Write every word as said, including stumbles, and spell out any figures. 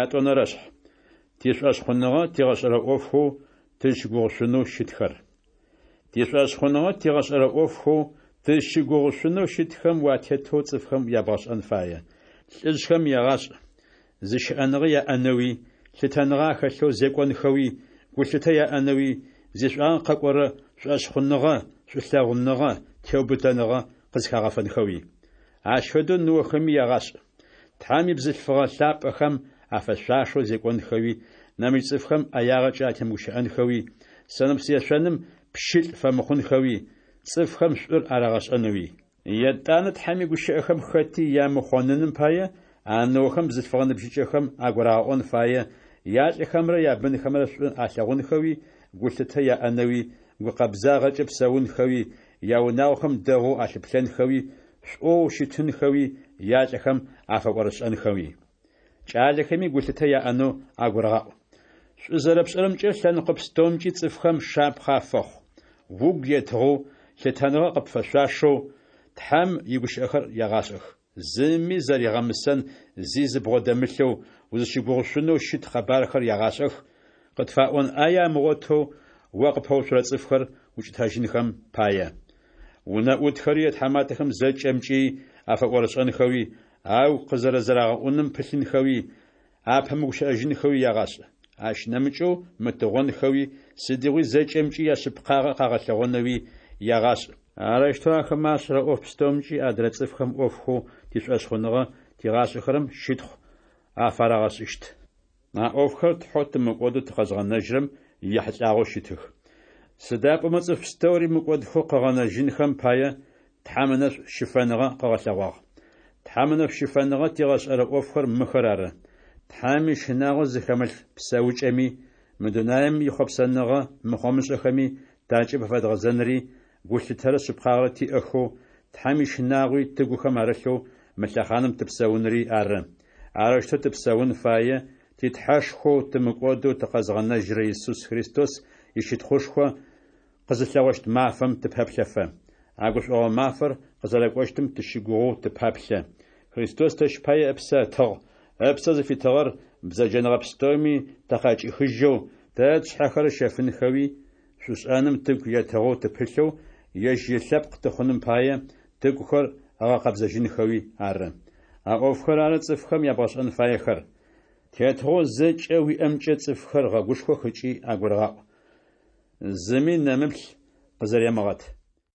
Ятӏонэрэшъхь. Тишӏошъхъуныгъэ тигъэшӏэрэ ӏофхэу тызщыгугъышъунэу щытхэр. Тишӏошъхъуныгъэ тигъэшӏэрэ ӏофхэу тызщыгугъышъунэу щытхэм уатетэу цӏыфхэм ябгъэшӏэн фае. Лӏыжъхэм ягъашӏ, зыщыӏэныгъэ яӏэнэуи, лъытэныгъэ ахэлъэу зекӏонхэуи, гулъытэ яӏэнэуи, зишӏуагъэ къэкӏорэ шӏошъхъуныгъэ, шӏулъэгъуныгъэ, теубытэныгъэ къызхагъэфэнхэуи. Ащ фэдэу ныохэми ягъашӏ. Тхьэм ибзылъфыгъэ лъапӏэхэм афэшъуашэу зекӏонхэуи, нэмыкӏ цӏыфхэм ӏэягъэкӏэ атемыгущыӏэнхэуи, сэнэпс ешъоным пщылӏ фэмыхъунхэуи, цӏыфхэм шӏур арагъэшӏэнэуи. Етӏанэ Тхьэм игущыӏэхэм хэти ямыхъоныным пае, а ныохэм бзылъфыгъэ ныбжьыкӏэхэм агурагъэӏон фае ялӏыхэмрэ ябынхэмрэ шӏу алъэгъунхэуи, гулъытэ яӏэнэуи, гукъэбзагъэкӏэ псэунхэуи, яунагъохэм дэгъоу алъыплъэнхэуи, шӏоу щытынхэуи, ялӏыхэм афэӏорышӏэнхэуи. Кӏалэхэми гулъытэ яӏэнэу агурыгъаӏу. Шӏу зэрэпшӏэрэмкӏэ лъэныкъо пстэумкӏи цӏыфхэм шапхъэ афэхъу. Угу етыгъэу, лъытэныгъэ къыпфэшъуашэу Тхьэм игущыӏэхэр ягъашӏэх. Зыми зэригъэмысэн зи зыбгъодэмылъэу, узыщыгугъышъунэу щыт къэбархэр ягъашӏэх, къытфаӏон ӏае амыгъотэу о къыпэуцурэ цӏыфхэр укӏытэжьынхэм пае. Унэӏутхэри ятхьаматэхэм зэкӏэмкӏи афэӏорышӏэнхэуи, агу къызэрэзэрагъэӏуным пылъынхэуи, апэмыгущыӏэжьынхэуи ягъашӏ. Ащ нэмыкӏэу мытыгъонхэуи, сыдигъуи зэкӏэмкӏи яшъыпкъагъэ къагъэлъэгъонэуи ягъашӏ. Арэущтэу ахэмэ ашӏэрэ ӏоф пстэумкӏи адрэ цӏыфхэм ӏофхэу тишӏошъхъуныгъэ тигъашӏэхэрэм щытхъу афарагъэшӏыщт. А ӏофхэр Тхьэу тымыкӏодэу тыкъэзгъэнэжьырэм ехьылӏагъэу щытых. Сыда пӏомэ цӏыф пстэури мыкӏодхэу къыгъэнэжьынхэм пае, Тхьэм ынэшӏу щыфэныгъэ къыгъэлъэгъуагъ. Тхьэм ынэшӏу щыфэныгъэ тигъэшӏэрэ ӏофхэр мыхэр ары: Тхьэм ищынагъо зыхэмылъ псэукӏэми, мы дунаем ихъопсэныгъэ мыхъомышӏэхэми такӏыб афэдгъэзэнри, гулъытэрэ шъыпкъагъэрэ тиӏэхэу, Тхьэм ищынагъуи тыгухэм арылъэу мы лъэхъаным тыпсэунри ары. Арэущтэу тыпсэун фае ти Тхьэшхоу тымыкӏодэу тыкъэзгъэнэжьырэ Исус Христос ищытхъушхо къызылъэгъощт мафэм тыпэплъэфэ. А гушӏогъо мафэр къызэрэкӏощтым тыщыгугъэу тыпэплъэ. Христос тэщ пае ыпсэ ытыгъ, ыпсэ зыфитыгъэр бзэджэныгъэ пстэуми такъыӏэкӏихыжьэу, тэ тшъхьэхэр ыщэфынхэуи, шӏушӏэным тыгу етыгъэу тыпылъэу, ежь ылъэпкъ тыхъуным пае, тыгухэр ыгъэкъэбзэжьынхэуи ары. А ӏофхэр ары цӏыфхэм ябгъэшӏэн фаехэр. Тетыгъоу зэкӏэ уиӏэмкӏэ цӏыфхэр гъэгушхох ыкӏи агурыгъаӏу. Зыми нэмыплъ къызэремыгъэт.